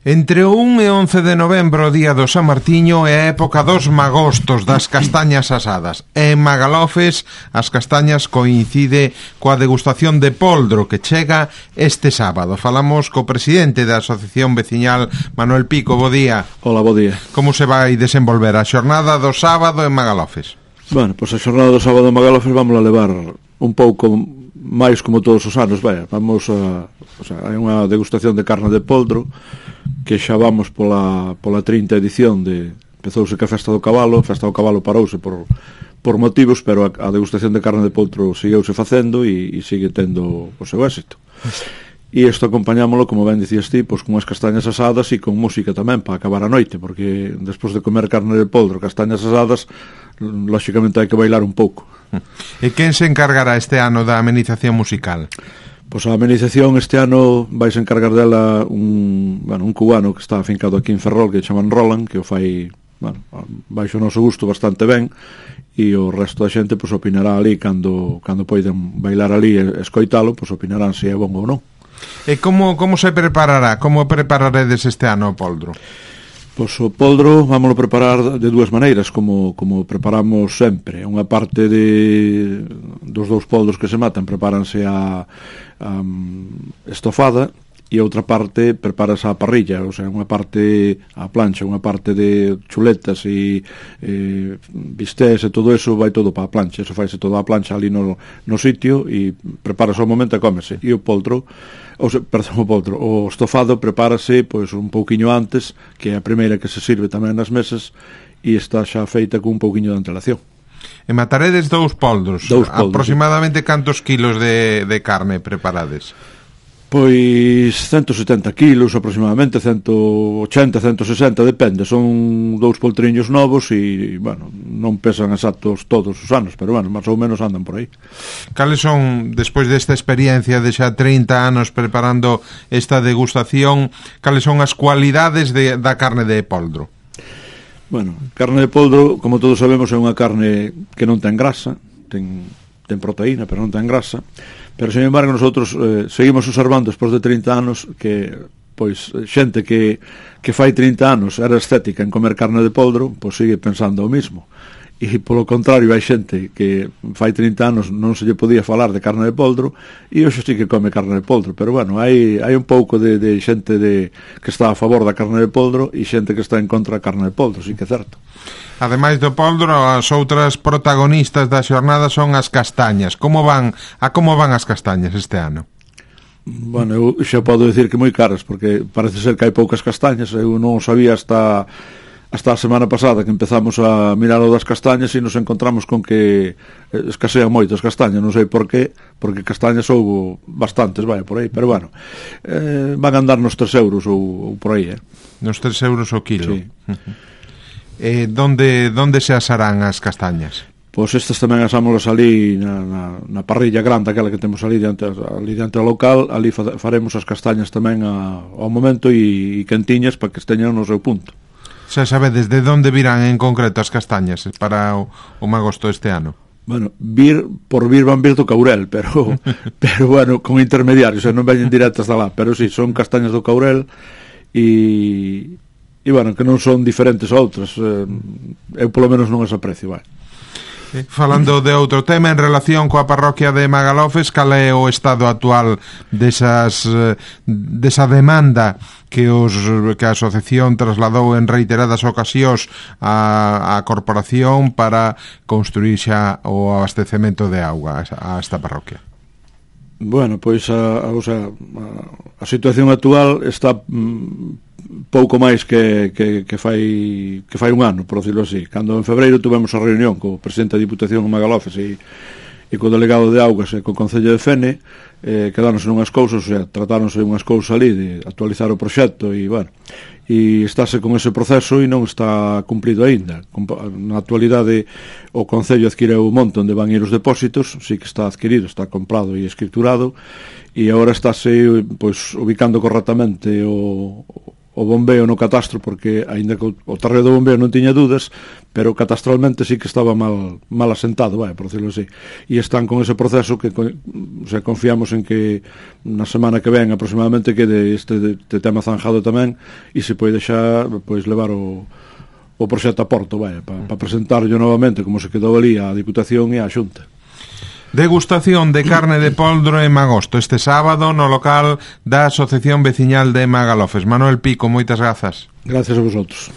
Entre o 1 e 11 de novembro, o día do San Martiño, é a época dos magostos, das castañas asadas. E en Magalofes, as castañas coincide coa degustación de poldro que chega este sábado. Falamos co presidente da Asociación Veciñal, Manuel Pico. Bo día. Hola, bo día. Como se vai desenvolver a xornada do sábado en Magalofes? Bueno, pois a xornada do sábado en Magalofes vamos a levar un pouco máis como todos os anos, vamos a... O sea, hai unha degustación de carne de poldro que xa vamos pola 30 edición de... Empezouse que a Festa do Cabalo parouse por motivos, pero a degustación de carne de poldro segueuse facendo e sigue tendo o seu éxito. E isto acompañámoslo, como ben dicías ti, pois con as castañas asadas e con música tamén para acabar a noite, porque despois de comer carne de poldro, castañas asadas, lóxicamente hai que bailar un pouco. E quen se encargará este ano da amenización musical? Pois a amenización este ano vais encargar dela un cubano que está afincado aquí en Ferrol, que chaman Roland, que o fai, baixo o noso gusto bastante ben, e o resto da xente pois opinará ali cando poiden bailar ali e escoitalo, pois opinarán se é bon ou non. E como se preparará? Como prepararedes este ano o poldro? Pois o poldro vámoslo preparar de dúas maneiras, como preparamos sempre. Unha parte dos dous poldros que se matan prepáranse a estofada e outra parte prepárase a parrilla, o sea, unha parte a plancha, unha parte de chuletas e bistés e todo eso vai todo para a plancha, eso faise todo a plancha ali no sitio e prepárase ao momento e cómese. E o poldro, o estofado prepárase pois un pouquiño antes, que é a primeira que se sirve tamén nas mesas e está xa feita con un pouquiño de antelación. E mataredes dous poldros. Aproximadamente cantos kilos de carne preparades? Pois 170 kilos aproximadamente, 180, 160, depende. Son dous poltriños novos e, non pesan exactos todos os anos, pero, máis ou menos andan por aí. Cales son, despois desta experiencia de xa 30 anos preparando esta degustación, cales son as cualidades da carne de poldro? Carne de poldro, como todos sabemos, é unha carne que non ten grasa, ten proteína, pero non ten grasa. Pero, sin embargo, nosotros seguimos observando despois de 30 anos que, pois, xente que fai 30 anos era estética en comer carne de poldro, pois sigue pensando o mismo. E, polo contrario, hai xente que fai 30 anos non se lle podía falar de carne de poldro e hoxe sí que come carne de poldro. Pero, hai un pouco de xente que está a favor da carne de poldro e xente que está en contra da carne de poldro, sí que é certo. Ademais do poldro, as outras protagonistas da xornada son as castañas. Como van as castañas este ano? Eu xa podo dicir que moi caras, porque parece ser que hai poucas castañas. Eu non sabía hasta a semana pasada que empezamos a mirar o das castañas e nos encontramos con que escasean moito as castañas. Non sei por qué, porque castañas houbo bastantes, por aí, pero van a andar nos 3 euros ou por aí. Nos 3 euros o kilo? Sí. Donde se asarán as castañas? Pois estas tamén asámolas ali na parrilla grande, aquela que temos ali diante do local. Ali faremos as castañas tamén ao momento e quentiñas para que esteñan no seu punto. Xa sabedes de onde virán en concreto as castañas para o magosto este ano? Van vir do Caurel, pero con intermediarios, non veñen directas da lá, pero si, son castañas do Caurel e que non son diferentes a outras. Eu polo menos non as aprecio, Falando de outro tema, en relación coa parroquia de Magalofes, cal é o estado actual desa demanda que a asociación trasladou en reiteradas ocasións á corporación para construir xa o abastecemento de auga a esta parroquia? Pois a situación actual está pouco máis que fai un ano, por decirlo así. Cando en febreiro tuvemos a reunión co presidente da Diputación de Magalofes e co delegado de Augas e co Concello de Fene, quedáronse unhas cousas, tratáronse unhas cousas ali de actualizar o proxecto e estáse con ese proceso e non está cumprido aínda. Na actualidade o Concello adquireu un monte onde van ir os depósitos, sí que está adquirido, está comprado e escriturado, e agora estáse pois ubicando correctamente o o bombeo no catastro, porque aínda que o terreo do bombeo non tiña dudas, pero catastralmente sí que estaba mal asentado, por decirlo así, e están con ese proceso que confiamos en que na semana que ven aproximadamente quede este tema zanjado tamén, e se pode xa levar o proxecto a porto, para presentarlo novamente como se quedou ali a Diputación e a Xunta. Degustación de carne de poldro en Magosto este sábado no local da Asociación Veciñal de Magalofes. Manuel Pico, moitas grazas. Gracias a vosotros.